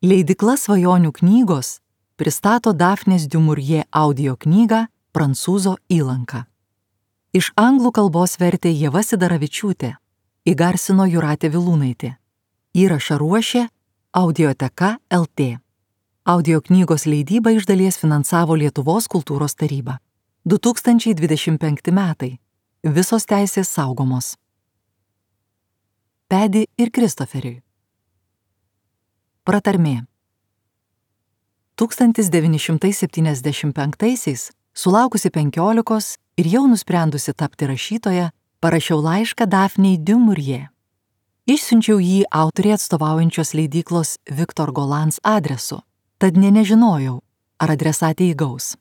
Leidykla Svajonių knygos pristato Dafnės du Maurier audio knygą Prancūzo įlanka. Iš anglų kalbos vertė Ieva Sidaravičiūtė, įgarsino Jūratė Vilūnaitė. Įrašą ruošė Audioteka LT. Audio knygos leidybą iš dalies finansavo Lietuvos kultūros taryba. 2025 metai. Visos teisės saugomos. Pedi ir Kristoferiui. Pratarmė. 1975-aisiais, sulaukusi 15 ir jau nusprendusi tapti rašytoja, parašiau laišką Dafnei du Maurier. Išsiunčiau jį autoriai atstovaujančios leidyklos Victor Golans adresu, tad nežinojau, ar adresatė įgaus.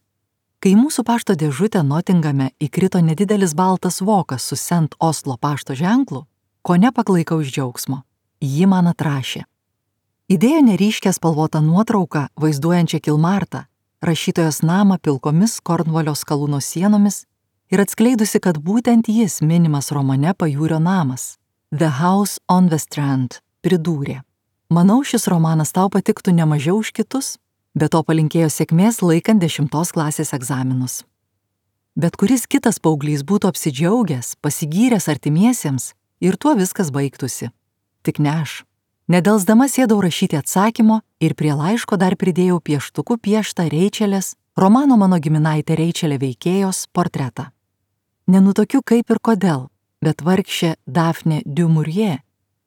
Kai mūsų pašto dėžutę Notingame įkrito nedidelis baltas vokas su St. Oslo pašto ženklu, ko nepaklaikau iš džiaugsmo. Ji man atrašė. Įdėjo neryškę spalvotą nuotrauką vaizduojančią Kilmartą, rašytojos namą pilkomis Kornvalio skalūno sienomis ir atskleidusi, kad būtent jis minimas romane Pajūrio namas. The House on the Strand pridūrė. Manau, šis romanas tau patiktų ne mažiau už kitus, be to palinkėjo sėkmės laikant 10 klasės egzaminus. Bet kuris kitas paauglys būtų apsidžiaugęs, pasigyręs artimiesiems ir tuo viskas baigtųsi. Tik ne aš. Nedelsdama sėdau rašyti atsakymo ir prie laiško dar pridėjau pieštuku pieštą Reičelės, romano Mano giminaitė Reičelė veikėjos portretą. Nenutokiu kaip ir kodėl, bet vargšė Dafnė du Maurier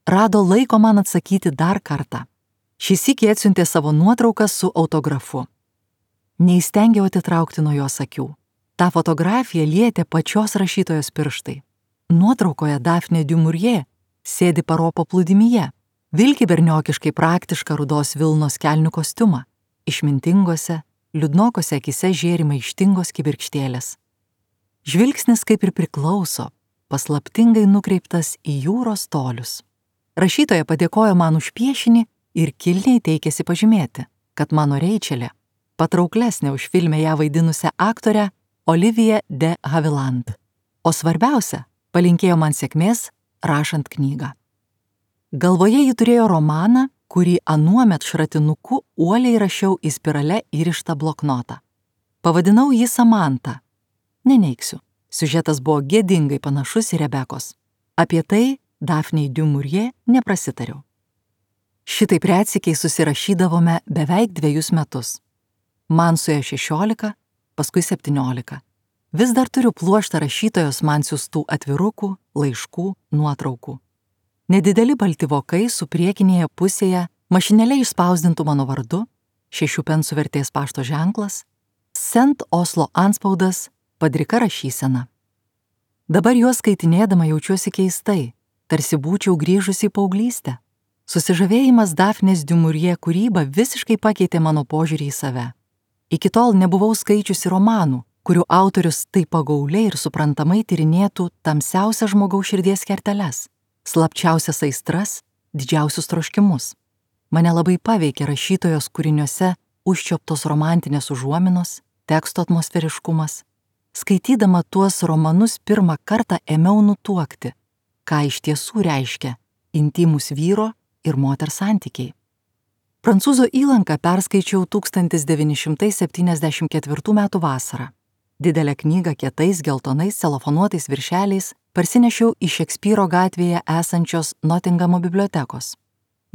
rado laiko man atsakyti dar kartą. Šis sykį atsiuntė savo nuotrauką su autografu. Neįstengiau atitraukti nuo jos akių. Ta fotografija lietė pačios rašytojos pirštai. Nuotraukoje Dafnė du Maurier sėdi paro paplūdimyje, vilki berniokiškai praktišką rudos vilnos kelnių kostiumą, išmintingose, liūdnokose akise žėri maištingos kibirkštėlės. Žvilgsnis kaip ir priklauso, paslaptingai nukreiptas į jūros tolius. Rašytoja padėkojo man už piešinį ir kilniai teikėsi pažymėti, kad mano Reičelė patrauklesnė už filme ją vaidinusią aktorę Oliviją de Havilland. O svarbiausia, palinkėjo man sėkmės rašant knygą. Galvoje ji turėjo romaną, kurį anuomet šratinuku uoliai rašiau į spirale įrištą bloknotą. Pavadinau jį Samantą. Neneiksiu, siužetas buvo gėdingai panašus į Rebekos. Apie tai Dafnei du Maurier neprasitariau. Šitaip retsykiai susirašydavome beveik 2 metus. Man suėjo 16, paskui 17. Vis dar turiu pluoštą rašytojos man siųstų atvirukų, laiškų, nuotraukų. Nedideli balti vokai su priekinėje pusėje mašinėle išspausdintų mano vardu, 6 pensų vertės pašto ženklas, St. Oslo antspaudas, padrika rašysena. Dabar juos skaitinėdama jaučiuosi keistai, tarsi būčiau grįžusi į paauglystę. Susižavėjimas Dafnės du Maurier kūryba visiškai pakeitė mano požiūrį į save. Iki tol nebuvau skaičiusi romanų, kurių autorius taip pagauliai ir suprantamai tyrinėtų tamsiausias žmogaus širdies kerteles, slapčiausias aistras, didžiausius troškimus. Mane labai paveikė rašytojos kūriniuose užčioptos romantinės užuominos, teksto atmosferiškumas. Skaitydama tuos romanus pirmą kartą ėmiau nutuokti, ką iš tiesų reiškia intymus vyro ir moters santykiai. Prancūzo įlanką perskaičiau 1974 metų vasarą. Didelę knygą kietais geltonais celofanuotais viršeliais parsinešiau iš Šekspyro gatvėje esančios Notingamo bibliotekos.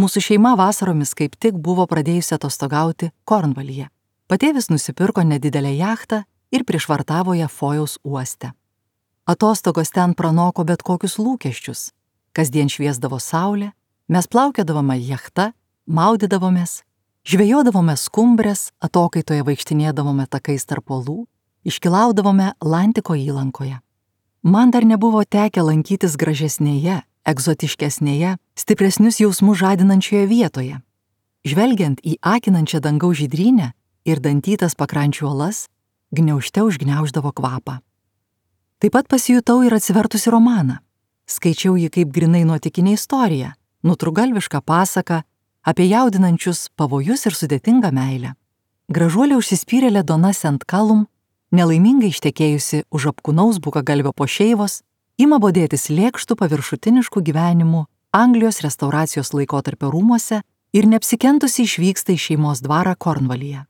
Mūsų šeima vasaromis kaip tik buvo pradėjusi atostogauti Kornvalyje. Patėvis nusipirko nedidelę jachtą ir prišvartavo ją Fojaus uoste. Atostogos ten pranoko bet kokius lūkesčius. Kasdien šviesdavo saulė, mes plaukiodavome jachta, maudydavomės, žvejodavome skumbrės, atokaitoje vaikštinėdavome takais tarp uolų, iškilaudavome Lantiko įlankoje. Man dar nebuvo tekę lankytis gražesnėje, egzotiškesnėje, stipresnius jausmus žadinančioje vietoje. Žvelgiant į akinančią dangaus žydrynę ir dantytas pakrančių uolas, gniaužte užgniauždavo kvapą. Taip pat pasijutau ir atsivertusi romaną. Skaičiau jį kaip grinai nuotykinė istorija, nutrūgalvišką pasaką apie jaudinančius pavojus ir sudėtingą meilę. Gražuolė užsispyrėlė Dona St. Kalum, nelaimingai ištekėjusi už apkūnaus bukagalvio pošeivos, ima bodėtis lėkštų paviršutiniškų gyvenimų Anglijos restauracijos laikotarpio rūmuose ir neapsikentusi išvyksta į šeimos dvarą Kornvalyje.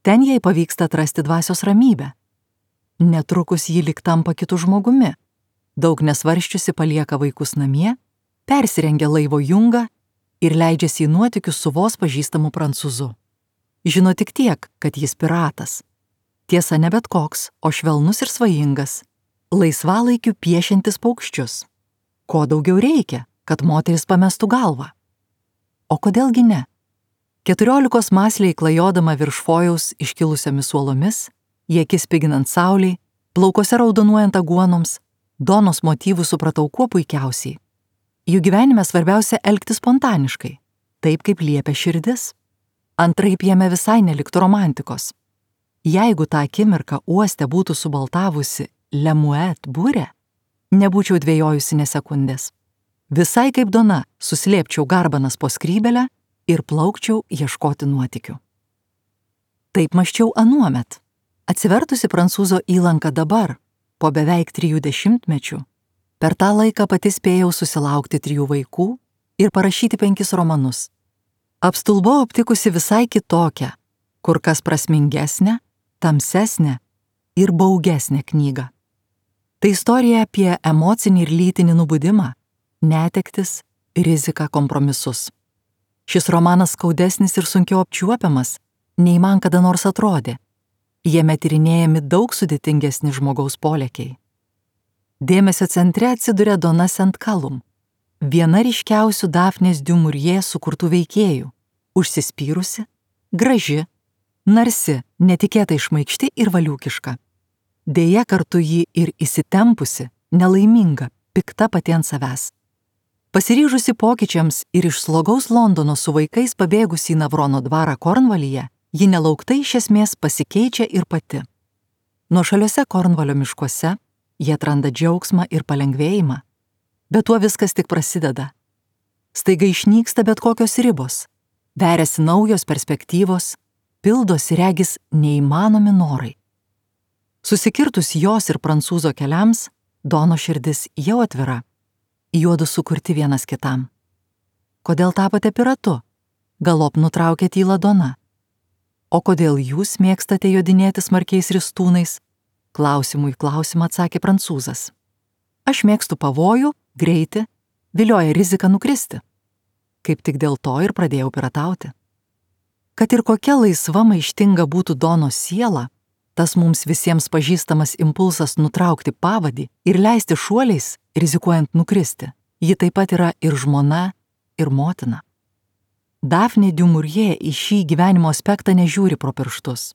Ten jai pavyksta atrasti dvasios ramybę. Netrukus ji lyg tampa kitu žmogumi. Daug nesvarščiusi palieka vaikus namie, persirengia laivo jungą ir leidžiasi į nuotykius su vos pažįstamu prancūzu. Žino tik tiek, kad jis piratas. Tiesa, ne bet koks, o švelnus ir svajingas, laisvalaikiu piešiantis paukščius. Ko daugiau reikia, kad moteris pamestų galvą? O kodėlgi ne? 14 mąsliai klajodama virš fojaus iškilusiomis uolomis, į akis spiginant saulei, plaukose raudonuojant aguonoms, Donos motyvų supratau kuo puikiausiai. Jų gyvenime svarbiausia elgtis spontaniškai, taip kaip liepia širdis. Antraip jame visai neliktų romantikos. Jeigu tą akimirką uoste būtų subaltavusi Lemuet burė, nebūčiau dvejojusi nė sekundės. Visai kaip Dona suslėpčiau garbanas po skrybelę ir plaukčiau ieškoti nuotykių. Taip mąsčiau anuomet. Atsivertusi prancūzo įlanką dabar, po beveik 3 dešimtmečių, per tą laiką pati spėjau susilaukti 3 vaikų ir parašyti 5 romanus. Apstulbau aptikusi visai kitokią, kur kas prasmingesnę, tamsesnę ir baugesnę knygą. Tai istorija apie emocinį ir lytinį nubudimą, netektis, riziką, kompromisus. Šis romanas skaudesnis ir sunkiau apčiuopiamas, nei man kada nors atrodė. Jame tyrinėjami daug sudėtingesni žmogaus polėkiai. Dėmesio centre atsiduria Dona Sent-Kalum, viena ryškiausių Dafnės du Maurier sukurtų veikėjų, užsispyrusi, graži, narsi, netikėtai šmaikšti ir valiūkiška. Deja, kartu ji ir įsitempusi, nelaiminga, pikta pati ant savęs. Pasiryžusi pokyčiams ir iš slogaus Londono su vaikais pabėgusi į Navrono dvarą Kornvalyje, ji nelauktai iš esmės pasikeičia ir pati. Nuošaliuose Kornvalio miškuose jie atranda džiaugsmą ir palengvėjimą, bet tuo viskas tik prasideda. Staiga išnyksta bet kokios ribos, veriasi naujos perspektyvos, pildosi regis neįmanomi norai. Susikirtus jos ir prancūzo keliams, Dono širdis jau atvira, juodu sukurti vienas kitam. Kodėl tapote piratu? Galop nutraukė tylą Dona. O kodėl jūs mėgstate jodinėti smarkiais ristūnais? Klausimų į klausimą atsakė prancūzas. Aš mėgstu pavojų, greitį, vilioja rizika nukristi. Kaip tik dėl to ir pradėjau piratauti. Kad ir kokia laisva maištinga būtų Donos siela, tas mums visiems pažįstamas impulsas nutraukti pavadį ir leisti šuoliais, rizikuojant nukristi, ji taip pat yra ir žmona, ir motina. Dafnė du Maurier į šį gyvenimo aspektą nežiūri pro pirštus.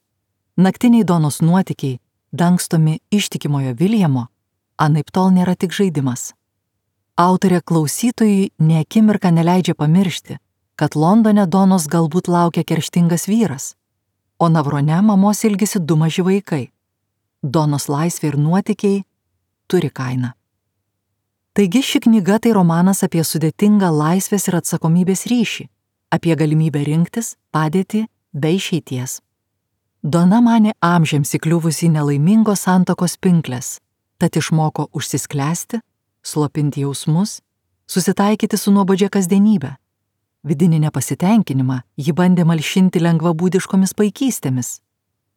Naktiniai Donos nuotykiai, dangstomi ištikimojo Viljamo, anaiptol nėra tik žaidimas. Autorė klausytojui nė akimirką neleidžia pamiršti, kad Londone Donos galbūt laukia kerštingas vyras, o Navrone mamos ilgisi 2 maži vaikai. Donos laisvė ir nuotykiai turi kainą. Taigi ši knyga tai romanas apie sudėtingą laisvės ir atsakomybės ryšį, apie galimybę rinktis, padėtį be išeities. Dona manė amžiams įkliuvusi į nelaimingos santuokos pinkles, tad išmoko užsisklęsti, slopinti jausmus, susitaikyti su nuobodžia kasdienybė. Vidinį nepasitenkinimą ji bandė malšinti lengvabūdiškomis paikystėmis,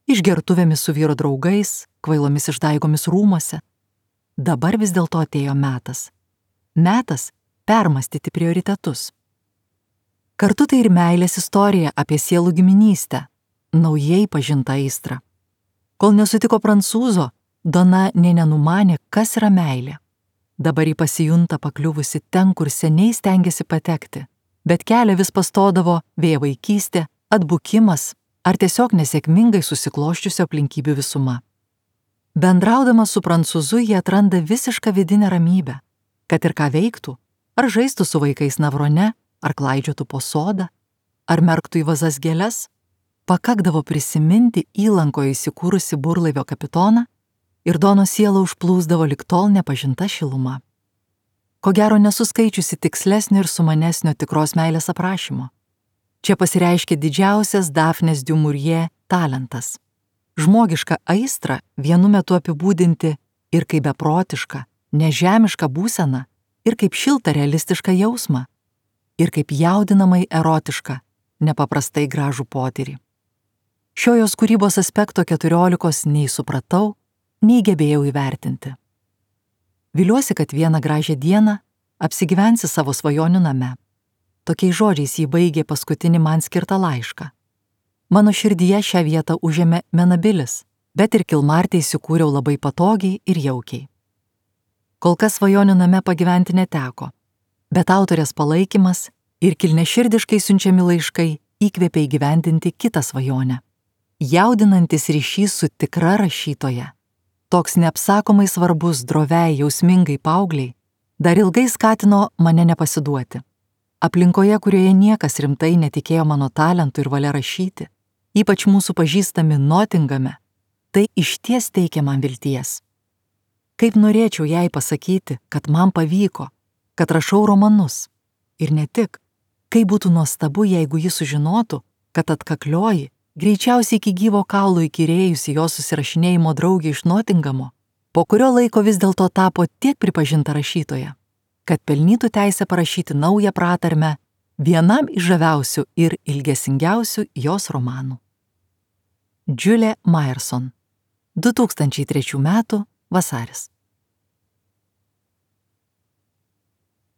išgertuvėmis su vyro draugais, kvailomis išdaigomis rūmuose. Dabar vis dėlto atėjo metas. Metas permastyti prioritetus. Kartu tai ir meilės istorija apie sielų giminystę, naujai pažintą aistrą. Kol nesutiko prancūzo, Dona nė nenumanė, kas yra meilė. Dabar ji pasijunta pakliuvusi ten, kur seniai stengėsi patekti, bet kelią vis pastodavo vėja vaikystė, atbukimas ar tiesiog nesėkmingai susikloščiusio aplinkybių visuma. Bendraudama su prancūzu jie atranda visišką vidinę ramybę, kad ir ką veiktų, ar žaistų su vaikais Navrone, ar klaidžiotų po sodą, ar merktų į vazas gėles, pakakdavo prisiminti įlankoje įsikūrusi burlaivio kapitoną ir Donos sielą užplūsdavo lig tol nepažinta šiluma. Ko gero nesuskaičiusi tikslesnio ir sumanesnio tikros meilės aprašymo. Čia pasireiškia didžiausias Dafnės du Maurier talentas. Žmogišką aistrą vienu metu apibūdinti ir kaip beprotišką, nežemišką būseną, ir kaip šiltą realistišką jausmą. ir kaip jaudinamai erotišką, nepaprastai gražų potyrį. Šio jos kūrybos aspekto 14 nei supratau, nei gebėjau įvertinti. Viliuosi, kad vieną gražią dieną apsigyvensi savo svajonių name. Tokiais žodžiais jį baigė paskutinį man skirtą laišką. Mano širdyje šią vietą užėmė Menabilis, bet ir Kilmarte įsikūriau labai patogiai ir jaukiai. Kol kas svajonių name pagyventi neteko, bet autorės palaikymas ir kilniaširdiškai siunčiami laiškai įkvėpė įgyvendinti kitą svajonę. Jaudinantis ryšys su tikra rašytoja, toks neapsakomai svarbus droviai jausmingai paaugliai, dar ilgai skatino mane nepasiduoti. Aplinkoje, kurioje niekas rimtai netikėjo mano talentu ir valia rašyti, ypač mūsų pažįstami Notingame, tai išties teikia man vilties. Kaip norėčiau jai pasakyti, kad man pavyko, kad rašau romanus. Ir ne tik, kaip būtų nuostabu, jeigu ji sužinotų, kad atkaklioji, greičiausiai iki gyvo kaulo įkyrėjusi jos susirašinėjimo draugė iš Notingamo, po kurio laiko vis dėlto tapo tiek pripažinta rašytoja, kad pelnytų teisę parašyti naują pratarmę vienam iš žaviausių ir ilgesingiausių jos romanų. Julie Myerson, 2003 m. vasaris.